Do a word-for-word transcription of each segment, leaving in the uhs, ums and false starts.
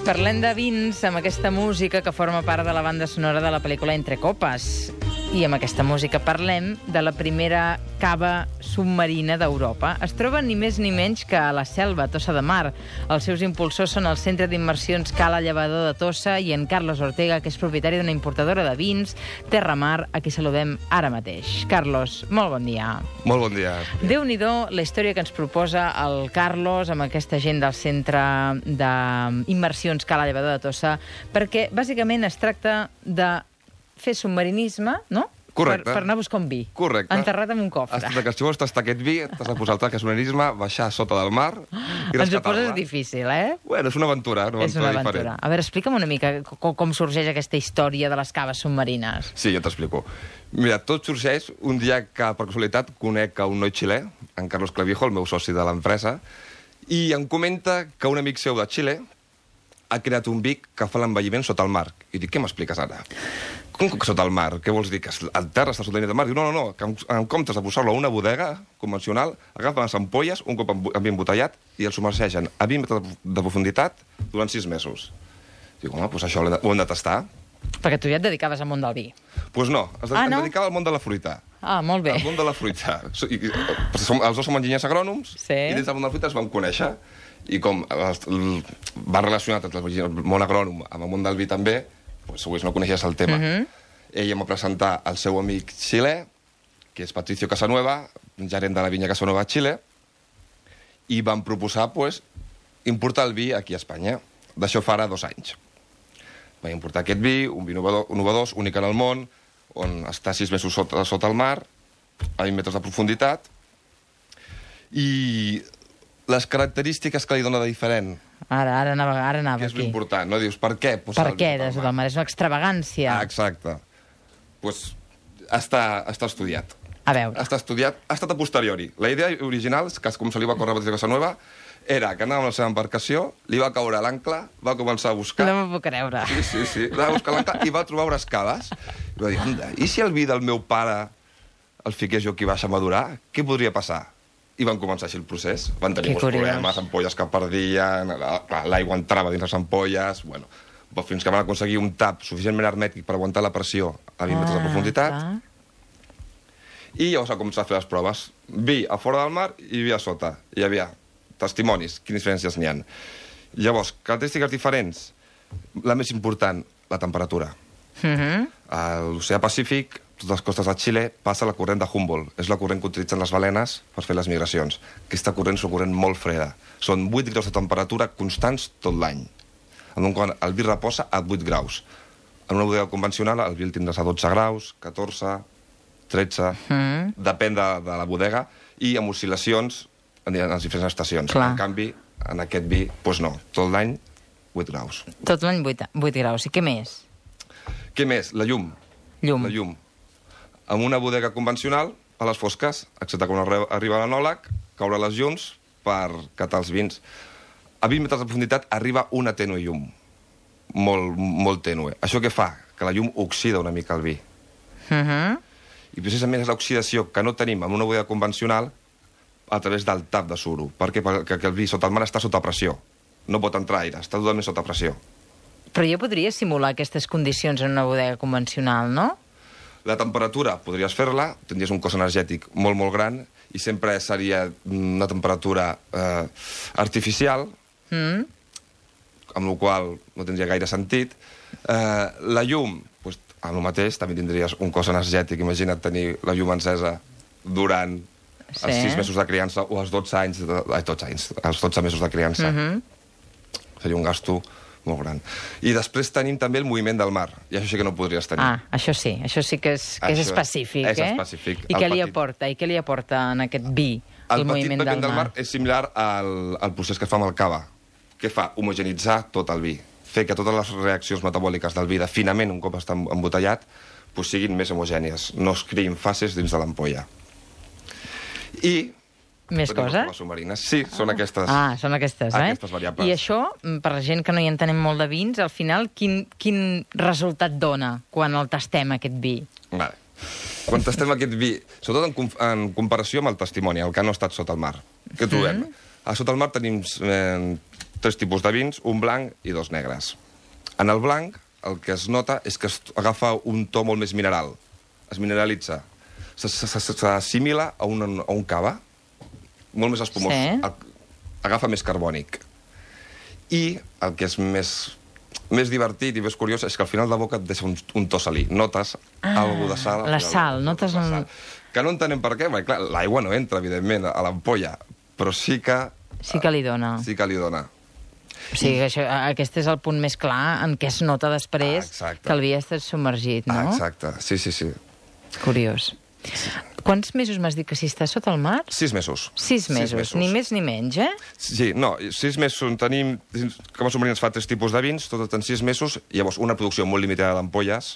Parlem de vins amb aquesta música que forma part de la banda sonora de la pel·lícula Entre copes. I amb aquesta música parlem de la primera cava submarina d'Europa. Es troba ni més ni menys que a la Selva, a Tossa de Mar. Els seus impulsors són el Centre d'Immersions Cala Llevador de Tossa i en Carlos Ortega, que és propietari d'una importadora de vins, Terramar, a qui saludem ara mateix. Carlos, molt bon dia. Molt bon dia. Déu-n'hi-do la història que ens proposa el Carlos amb aquesta gent del Centre d'Immersions Cala Llevador de Tossa, perquè bàsicament es tracta de fer submarinisme, no? Correcte. Per, per anar a buscar un vi. Correcte. Enterrat en un cofre. Has, que si vols tastar aquest vi, t'has de posar el traje de submarinisme, baixar sota del mar i Ens ho poses difícil, eh? Bueno, és una aventura, una és aventura una aventura. diferent. A veure, explica'm una mica com, com sorgeix aquesta història de les caves submarines. Sí, jo t'explico. Mira, tot sorgeix un dia que, per casualitat, conec a un noi xilè, en Carlos Clavijo, el meu soci de l'empresa, i em comenta que un amic seu de Xile ha creat un vi que fa l'envelliment sota el mar. I dic, què m'expliques ara? Com que sota el mar? Què vols dir? Que el terra està sota el mar? Diu, no, no, no, que en, en comptes de posar-lo a una bodega convencional, agafen les ampolles, un cop amb vi embotellat, i el submergeixen a vint metres de profunditat durant sis mesos. Dic, home, doncs això ho hem de tastar. Perquè tu ja et dedicaves al món del vi. Doncs pues no, es ah, no? em dedicava al món de la fruita. Ah, molt bé. Al món de la fruita. I, i, som, els dos som enginyers agrònoms, sí. I dins del món de la fruita es vam conèixer. I com va relacionat el món agrònom amb el món del vi també, doncs segurament no coneixies el tema. Uh-huh. Ell em va presentar el seu amic xilè, que és Patricio Casanueva, gerent de la vinya Casanueva a Xile, i van proposar pues, importar el vi aquí a Espanya. D'això fa ara dos anys. Vam importar aquest vi, un vi innovador, únic en el món, on està sis mesos sota, sota el mar, a vint metres de profunditat, i les característiques que li dona de diferent. Ara, ara anava, ara anava que és aquí. important, no? Dius, per què? Per què des del mar? És una extravagància. Ah, exacte. Doncs pues, està, està estudiat. A veure. Està estudiat, ha estat a posteriori. La idea original, que com se li va córrer a Patricio Casanueva, era que anava amb la seva embarcació, li va caure a l'ancle, va començar a buscar... No m'ho puc creure. Sí, sí, sí. Va buscar l'ancle i va trobar unes caves. I va dir, anda, i si el vi del meu pare el fiqués jo aquí baix a madurar, què podria passar? I van començar així el procés. Van tenir molts problemes, ampolles que perdien, l'aigua entrava dins les ampolles... Bueno, fins que van aconseguir un tap suficientment hermètic per aguantar la pressió a vint metres de profunditat. I llavors va començar a fer les proves. Vi a fora del mar i vi a sota. Hi havia testimonis, quines diferències n'hi ha. Llavors, característiques diferents. La més important, la temperatura. Uh-huh. A l'oceà Pacífic, totes les costes de Xile, passa la corrent de Humboldt. És la corrent que utilitzen les balenes per fer les migracions. Aquesta corrent és una corrent molt freda. Són vuit graus de temperatura constants tot l'any. Quan el vi reposa a vuit graus. En una bodega convencional el vi el tindràs a dotze graus, catorze, tretze... Uh-huh. Depèn de, de la bodega, i amb oscil·lacions en les diferents estacions. Clar. En canvi, en aquest vi, doncs no, tot l'any vuit graus. Tot l'any vuit graus. I què més? Què més? La llum. Llum. La llum. En una bodega convencional, a les fosques, excepte quan arriba l'anòleg, caure les llums per catar els vins. A vint metres de profunditat arriba una tènue llum. Molt, molt tènue. Això què fa? Que la llum oxida una mica el vi. Uh-huh. I precisament és l'oxidació que no tenim en una bodega convencional a través del tap de suro. Per què? Perquè el vi sota el mar està sota pressió. No pot entrar aire, està totalment sota pressió. Però jo podria simular aquestes condicions en una bodega convencional, no? La temperatura, podries fer-la, tindries un cos energètic molt, molt gran, i sempre seria una temperatura eh, artificial, mm. amb la qual no tindria gaire sentit. Eh, la llum, doncs, amb el mateix, també tindries un cos energètic. Imagina't tenir la llum encesa durant sí. els sis mesos de criança o els dotze anys, de, ai, dotze anys, els dotze mesos de criança. Mm-hmm. Seria un gasto molt gran. I després tenim també el moviment del mar, i això sí que no podries tenir. Ah, això sí, això sí que és, que és específic, és eh? específic. I què li aporta? I què li aporta en aquest vi, el, el moviment del mar? El petit moviment del mar és similar al, al procés que es fa amb el cava. Què fa? Homogenitzar tot el vi. Fer que totes les reaccions metabòliques del vi de finament, un cop està embotellat, pues siguin més homogènies, no es creïn fases dins de l'ampolla. I... Més coses? Sí, són aquestes, ah, són aquestes, eh? aquestes variables. I això, per la gent que no hi entenem molt de vins, al final, quin, quin resultat dona quan el tastem, aquest vi? Vale. Quan tastem aquest vi, sobretot en, en comparació amb el testimoni, el que no ha estat sota el mar, què trobem? Mm. A sota el mar tenim eh, tres tipus de vins, un blanc i dos negres. En el blanc, el que es nota és que es agafa un to molt més mineral. Es mineralitza. S'assimila a, un, a un cava, molt més espumós. Sí. Agafa més carbònic. I el que és més, més divertit i més curiós és que al final de boca et deixa un, un to salí. Notes ah, alguna de sal. La sal, notes... La sal. Que no entenem per què, perquè clar, l'aigua no entra, evidentment, a l'ampolla, però sí que... Sí que li dona. Sí que li dona. O sigui, que això, aquest és el punt més clar en què es nota després ah, que el vi ha estat submergit, no? Ah, exacte, sí, sí, sí. Curiós. Sí. Quants mesos m'has dit que si estàs sota el mar? Sis mesos. Sis mesos, sis mesos. Ni més ni menys, eh? Sí, no, sis mesos tenim... Com a submarins fa tres tipus de vins, tots en sis mesos, i llavors una producció molt limitada d'ampolles,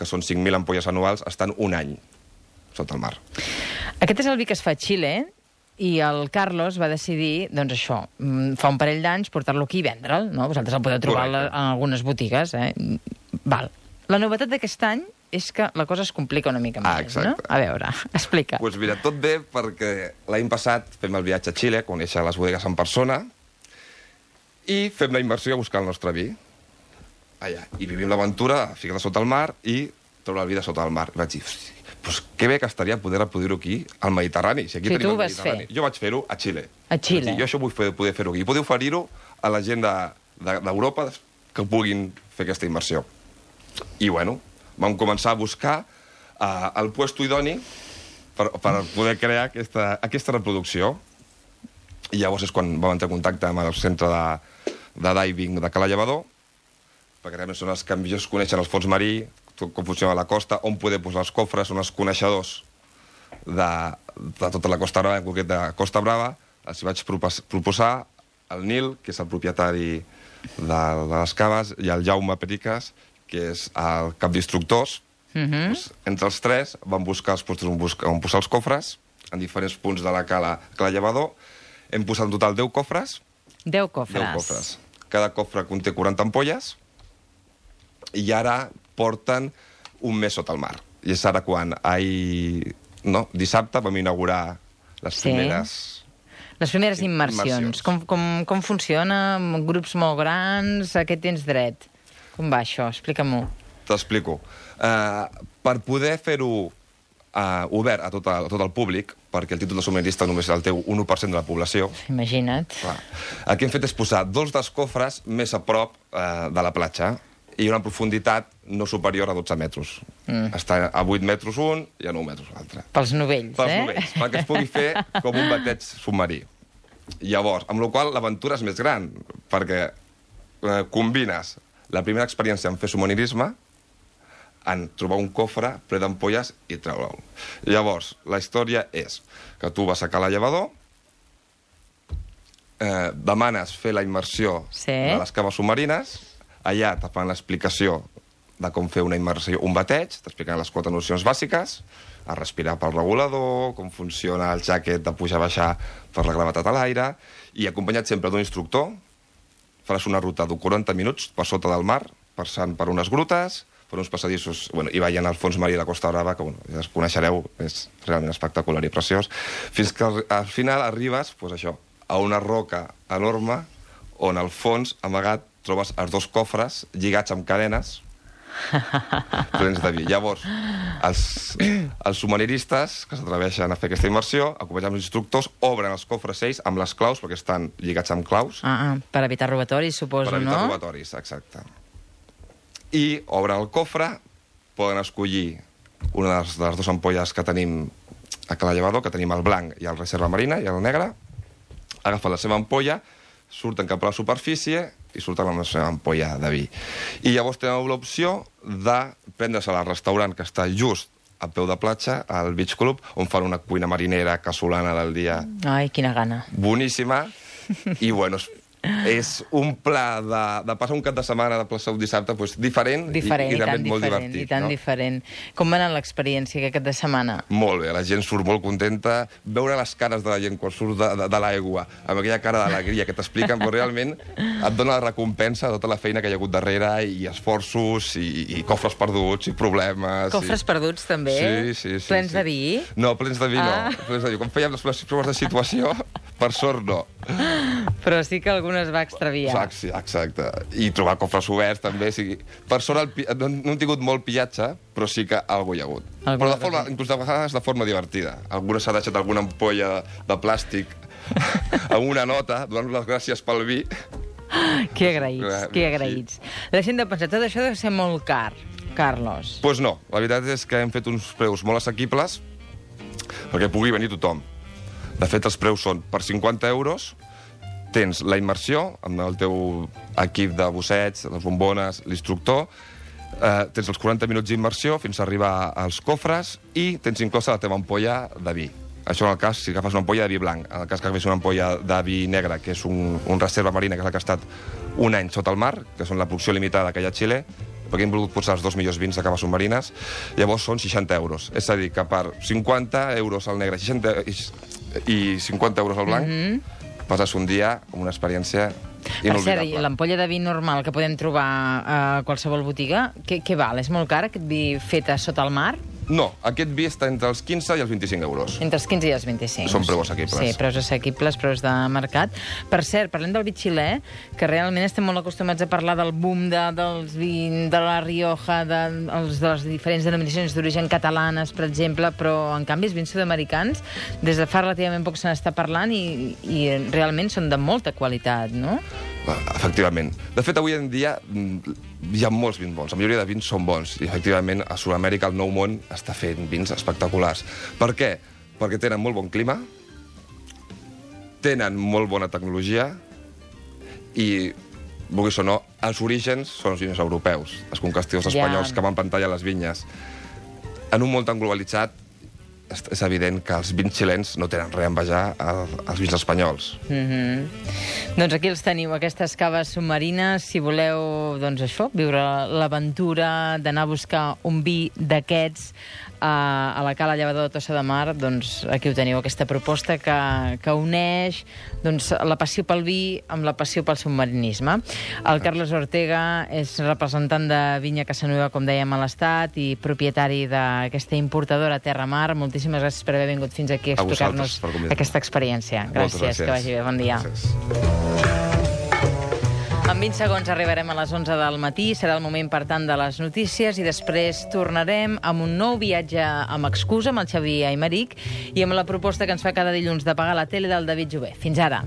que són cinc mil ampolles anuals, estan un any sota el mar. Aquest és el vi que es fa a Xile, i el Carlos va decidir, doncs això, fa un parell d'anys portar-lo aquí i vendre'l, no? Vosaltres el podeu trobar Correcte. En algunes botigues, eh? Val. La novetat d'aquest any és que la cosa es complica una mica ah, més, no? A veure, explica. Doncs pues mira, tot bé perquè l'any passat fem el viatge a Xile, conèixer les bodegues en persona, i fem la immersió a buscar el nostre vi. Allà. I vivim l'aventura, ficar sota el mar i trobar el vi de sota el mar. I vaig dir, pues que bé que estaria poder reproduir-ho aquí, al Mediterrani. Si aquí sí, tenim tu el vas Mediterrani. fer. Jo vaig fer-ho a Xile. A Xile. Dir, jo això vull fer, poder fer-ho aquí. I poder oferir-ho a la gent d'Europa de, de, que puguin fer aquesta immersió. I, bueno, vam començar a buscar uh, el puesto idoni per, per poder crear aquesta, aquesta reproducció. I llavors és quan vam entrar en contacte amb el centre de, de diving de Cala Llevador, perquè realment són els que millor coneixen el fons marí, com funciona la costa, on poder posar els cofres, són els coneixedors de, de tota la Costa Brava, en concret de Costa Brava. Els vaig proposar el Nil, que és el propietari de, de les caves, i el Jaume Periques, que és el cap d'instructors. Mm-hmm. Pues, entre els tres vam buscar els postos on, buscar, on posar els cofres, en diferents punts de la cala, cala Llevador. Hem posat en total deu cofres. Deu cofres. Deu cofres. Cada cofre conté quaranta ampolles, i ara porten un mes sota el mar. I és ara quan ahir, no, dissabte vam inaugurar les sí. primeres... Les primeres immersions. immersions. Com, com, com funciona? Amb grups molt grans? A què tens dret? Com va això? Explica-m'ho. T'explico. Uh, per poder fer-ho uh, obert a tot, el, a tot el públic, perquè el títol de submarinista només el té un u per cent de la població. Imagina't. Clar. El que hem fet és posar dos dels cofres més a prop uh, de la platja, i una profunditat no superior a dotze metres. Mm. Està a vuit metres un i a nou metres l'altre. Pels novells, Pels eh? Pels novells, perquè es pugui fer com un bateig submarí. Llavors, amb la qual cosa l'aventura és més gran, perquè eh, combines la primera experiència en fer submarinisme en trobar un cofre ple d'ampolles i treure-ho. Llavors, la història és que tu vas a Cala Llevador, eh, demanes fer la immersió sí. de les caves submarines. Allà te fan l'explicació de com fer una immersió, un bateig, t'expliquen les quatre nocions bàsiques, a respirar pel regulador, com funciona el jacket de pujar-baixar per la gravetat a l'aire, i acompanyat sempre d'un instructor, faràs una ruta de quaranta minuts per sota del mar, passant per unes grutes, per uns passadissos, bueno, i veient el fons marí de la Costa Brava, que bueno, ja es coneixereu, és realment espectacular i preciós, fins que al, al final arribes, pues això, a una roca enorme, on al fons, amagat, trobes els dos cofres lligats amb cadenes plens de vi. Llavors, els, els submarinistes que s'atreveixen a fer aquesta immersió, acompanyats amb els instructors, obren els cofres ells amb les claus, perquè estan lligats amb claus. Ah, ah, per evitar robatoris, suposo, no? Per evitar no? robatoris, exacte. I obren el cofre, poden escollir una de les, de les dues ampolles que tenim a Cala Llevador, que tenim el blanc i el reserva marina, i el negre, agafen la seva ampolla, surten cap a la superfície i surten amb la seva ampolla de vi. I llavors tenen l'opció de prendre-se-la al restaurant que està just a peu de platja, al Beach Club, on fan una cuina marinera casolana del dia. Ai, quina gana. Boníssima. I, bueno, és un pla de, de passar un cap de setmana de plaça un dissabte pues, diferent, diferent i, i, i realment molt diferent, divertit. I tan no? diferent. Com va anar l'experiència aquest cap de setmana? Molt bé, la gent surt molt contenta. Veure les cares de la gent quan surt de, de, de l'aigua, amb aquella cara d'alegria que t'expliquen, però realment et dona la recompensa de tota la feina que hi ha hagut darrere, i esforços, i, i cofres perduts, i problemes... Cofres i... perduts, també? Sí, sí, sí. Plens sí. de vi? No, plens de vi ah. no. Plens de vi. Quan fèiem les proves de situació, per sort no. Però sí que algunes va extraviar. Exacte, exacte. I trobar cofres oberts, també. O sigui, per sort, el, no, no hem tingut molt pillatge, però sí que alguna hi ha hagut. Alguna però de forma, inclús de vegades de forma divertida. Alguna s'ha deixat alguna ampolla de plàstic amb una nota, donant les gràcies pel vi. Que agraïts, que agraïts. Sí. La gent de pensar, tot això deu ser molt car, Carlos. Doncs pues no, la veritat és que hem fet uns preus molt assequibles perquè pugui venir tothom. De fet, els preus són per cinquanta euros, tens la immersió amb el teu equip de busseig, les bombones, l'instructor, eh, tens els quaranta minuts d'immersió fins a arribar als cofres i tens inclosa la teva ampolla de vi. Això en el cas si agafes una ampolla de vi blanc. En el cas que agafes una ampolla de vi negre, que és un, un reserva marina, que és la que ha estat un any sota el mar, que són la producció limitada que hi ha a Xile, perquè hem volgut posar els dos millors vins de caves submarines, llavors són seixanta euros. És a dir, que per cinquanta euros al negre seixanta, i, i cinquanta euros al blanc, mm-hmm. passes un dia amb una experiència inolvidable. Per cert, l'ampolla de vi normal que podem trobar a qualsevol botiga, què, què val? És molt car, aquest vi fet a sota el mar? No, aquest vi està entre els quinze i els vint-i-cinc euros. Entre els quinze i els vint-i-cinc. Són preus assequibles. Sí, preus assequibles, preus de mercat. Per cert, parlem del vi xilè, que realment estem molt acostumats a parlar del boom de, dels vins de la Rioja, de, els, de les diferents denominacions d'origen catalanes, per exemple, però, en canvi, els vins sud-americans, des de fa relativament poc se n'està parlant i, i realment són de molta qualitat, no? Efectivament. De fet, avui en dia hi ha molts vins bons. La majoria de vins són bons. I, efectivament, a Sud-amèrica, el Nou Món està fent vins espectaculars. Per què? Perquè tenen molt bon clima, tenen molt bona tecnologia i, vulguis o no, els orígens són els vins europeus, els conquistadors espanyols que van pantallar les vinyes. En un món tan globalitzat, és evident que els vins xilens no tenen res a envejar als vins espanyols. Mm-hmm. Doncs aquí els teniu, aquestes caves submarines. Si voleu, doncs això, viure l'aventura d'anar a buscar un vi d'aquests a, a la Cala Llevador de Tossa de Mar, doncs aquí ho teniu, aquesta proposta que, que uneix doncs, la passió pel vi amb la passió pel submarinisme. El Carlos Ortega és representant de Vinya Casanueva, com dèiem, a l'Estat, i propietari d'aquesta importadora Terra Mar. Moltíssimes gràcies per haver vingut fins aquí a explicar-nos aquesta experiència. Gràcies, gràcies, que vagi bé. Bon dia. Gràcies. En vint segons arribarem a les onze del matí. Serà el moment, per tant, de les notícies i després tornarem amb un nou viatge amb excusa amb el Xavier Aymeric i amb la proposta que ens fa cada dilluns de pagar la tele del David Jové. Fins ara.